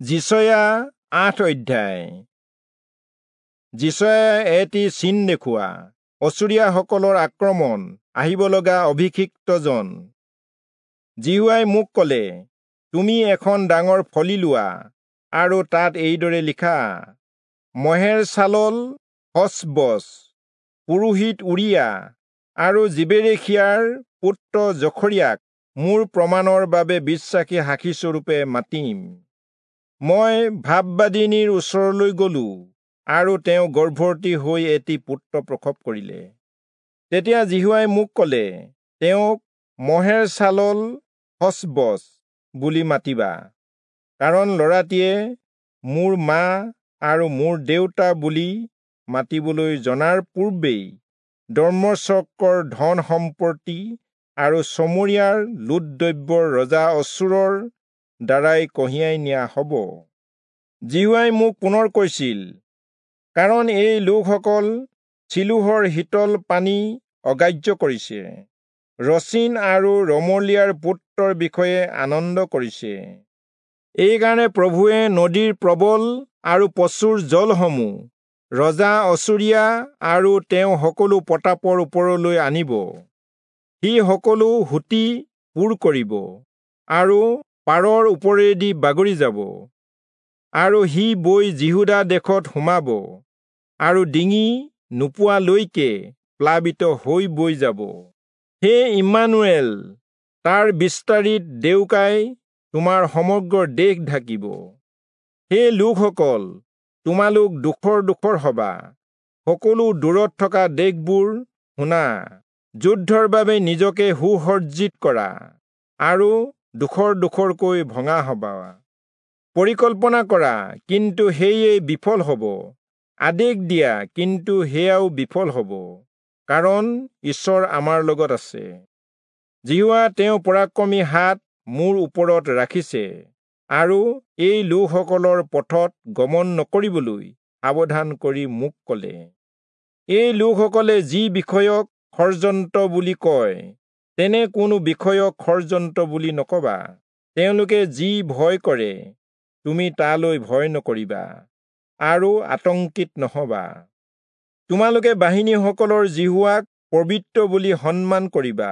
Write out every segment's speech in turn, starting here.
যিচয়া ৮ অধ্যায়। যিচয়াই এটি চিন দেখুওৱা, অচুৰীয়াসকলৰ আক্ৰমণ, আহিব লগা অভিষিক্তজন। যিহোৱাই মোক ক'লে, তুমি এখন ডাঙৰ ফলি লোৱা আৰু তাত এইদৰে লিখা, মহেৰ চালল হচবচ, পুৰোহিত উৰিয়া আৰু যিবেৰেখিয়াৰ পুত্ৰ জখৰিয়াক মোৰ প্ৰমাণৰ বাবে বিশ্বাসী সাক্ষীস্বৰূপে মাতিম। মই ভাববাদিনীৰ ওচৰলৈ গলো আৰু তেওঁ গৰ্ভৱতী হৈ এটি পুত্ৰ প্ৰসৱ কৰিলে। তেতিয়া যিহোৱাই মোক ক'লে, তেওঁক মহেৰ চালল হচবচ বুলি মাতিবা, কাৰণ ল'ৰাটিয়ে মোৰ মা আৰু মোৰ দেউতা বুলি মাতিবলৈ জনাৰ পূৰ্বেই দম্মেচকৰ ধন সম্পত্তি আৰু চমৰীয়াৰ লুটদ্ৰব্যৰ ৰজা অচূৰৰ দ্বাৰাই কঢ়িয়াই নিয়া হ'ব। যিহোৱাই মোক পুনৰ কৈছিল, কাৰণ এই লোকসকল চিলোহৰ শীতল পানী অগ্ৰাহ্য কৰিছে, ৰচীন আৰু ৰমলিয়াৰ পুত্ৰৰ বিষয়ে আনন্দ কৰিছে। এইকাৰণে প্ৰভুৱে নদীৰ প্ৰবল আৰু প্ৰচুৰ জলসমূহ ৰজা অচূৰীয়া আৰু তেওঁ সকলো প্ৰতাপৰ ওপৰলৈ আনিব। সি সকলো সুঁতি পূৰ কৰিব আৰু পাৰৰ ওপৰেদি বাগৰি যাব, আৰু সি বৈ যিহূদা দেশত সোমাব আৰু ডিঙি নোপোৱালৈকে প্লাবিত হৈ বৈ যাব। হে ইম্মানুৱেল, তাৰ বিস্তাৰিত ডেউকাই তোমাৰ সমগ্ৰ দেশ ঢাকিব। হে লোকসকল, তোমালোক ডোখৰ ডোখৰ হবা, সকলো দূৰত থকা দেশবোৰ শুনা, যুদ্ধৰ বাবে নিজকে সুসজ্জিত কৰা আৰু ডোখৰ ডোখৰকৈ ভঙা হবা। পৰিকল্পনা কৰা, কিন্তু সেয়ে বিফল হ'ব, আদেশ দিয়া, কিন্তু সেয়াও বিফল হ'ব, কাৰণ ঈশ্বৰ আমাৰ লগত আছে। যিহোৱা তেওঁ পৰাক্ৰমী হাত মোৰ ওপৰত ৰাখিছে আৰু এই লোকসকলৰ পথত গমন নকৰিবলৈ সাৱধান কৰি মোক ক'লে, এই লোকসকলে যি বিষয়ক ষড়যন্ত্ৰ বুলি কয়, তেনে কোনো বিষয়ক ষড়যন্ত্ৰ বুলি নকবা। তেওঁলোকে যি ভয় কৰে, তুমি তালৈ ভয় নকৰিবা আৰু আতংকিত নহবা। তোমালোকে বাহিনীসকলৰ যিহোৱাক পবিত্ৰ বুলি সন্মান কৰিবা,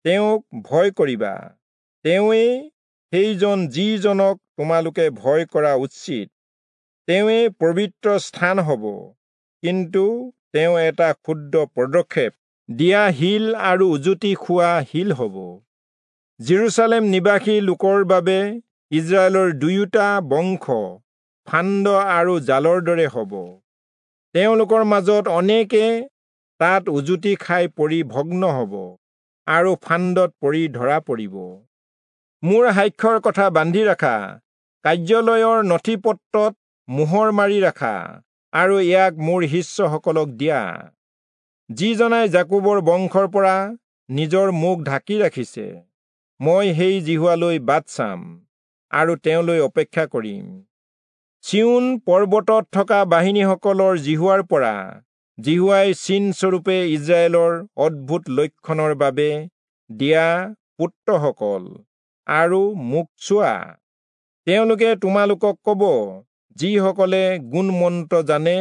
তেওঁক ভয় কৰিবা। তেওঁৱেই সেইজন যিজনক তোমালোকে ভয় কৰা উচিত। তেওঁৱেই পবিত্ৰ স্থান হ'ব, কিন্তু তেওঁ এটা ক্ষুদ্ৰ পদক্ষেপ দিয়া শিল আৰু উজুতি খোৱা শিল হ'ব। যিৰূচালেম নিবাসী লোকৰ বাবে ইজৰাইলৰ দুয়োটা বংশ ফান্দ আৰু জালৰ দৰে হ'ব। তেওঁলোকৰ মাজত অনেকে তাত উজুতি খাই পৰি ভগ্ন হ'ব আৰু ফান্দত পৰি ধৰা পৰিব। মোৰ সাক্ষ্যৰ কথা বান্ধি ৰাখা, কাৰ্যালয়ৰ নথি-পত্ৰত মোহৰ মাৰি ৰাখা আৰু ইয়াক মোৰ শিষ্যসকলক দিয়া। যিজনাই যাকোবৰ বংশৰ পৰা নিজৰ মুখ ঢাকি ৰাখিছে, মই সেই যিহোৱালৈ বাট চাম আৰু তেওঁলৈ অপেক্ষা কৰিম। চিয়োন পৰ্বতত থকা বাহিনীসকলৰ যিহোৱাৰ পৰা যিহোৱাই চিনস্বৰূপে ইজৰাইলৰ অদ্ভুত লক্ষণৰ বাবে দিয়া পুত্ৰসকল আৰু মোক চোৱা। তেওঁলোকে তোমালোকক ক'ব, যিসকলে গুণমন্ত্ৰ জানে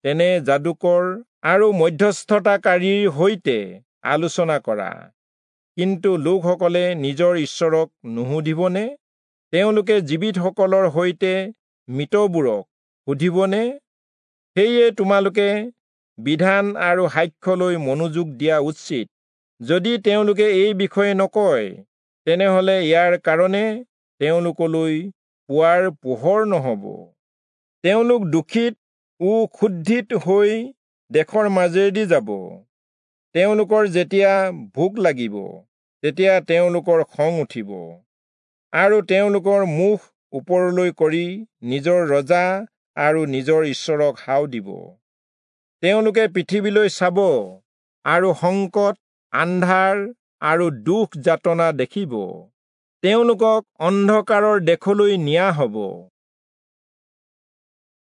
তেনে যাদুকৰ আৰু মধ্যস্থতাকাৰীৰ সৈতে আলোচনা কৰা। কিন্তু লোকসকলে নিজৰ ঈশ্বৰক নুসুধিবনে? তেওঁলোকে জীৱিতসকলৰ সৈতে মৃতবোৰক সুধিবনে? সেয়ে তোমালোকে বিধান আৰু সাক্ষ্যলৈ মনোযোগ দিয়া উচিত। যদি তেওঁলোকে এই বিষয়ে নকয়, তেনেহলে ইয়াৰ কাৰণে তেওঁলোকলৈ পুৱাৰ পোহৰ নহ'ব। তেওঁলোক দুখিত ও ক্ষুধিত হৈ দেশৰ মাজেদি যাব। তেওঁলোকৰ যেতিয়া ভোক লাগিব, তেতিয়া তেওঁলোকৰ খং উঠিব আৰু তেওঁলোকৰ মুখ ওপৰলৈ কৰি নিজৰ ৰজা আৰু নিজৰ ঈশ্বৰক হাও দিব। তেওঁলোকে পৃথিৱীলৈ চাব আৰু সংকট, আন্ধাৰ আৰু দুখ যাতনা দেখিব। তেওঁলোকক অন্ধকাৰৰ দেশলৈ নিয়া হ'ব।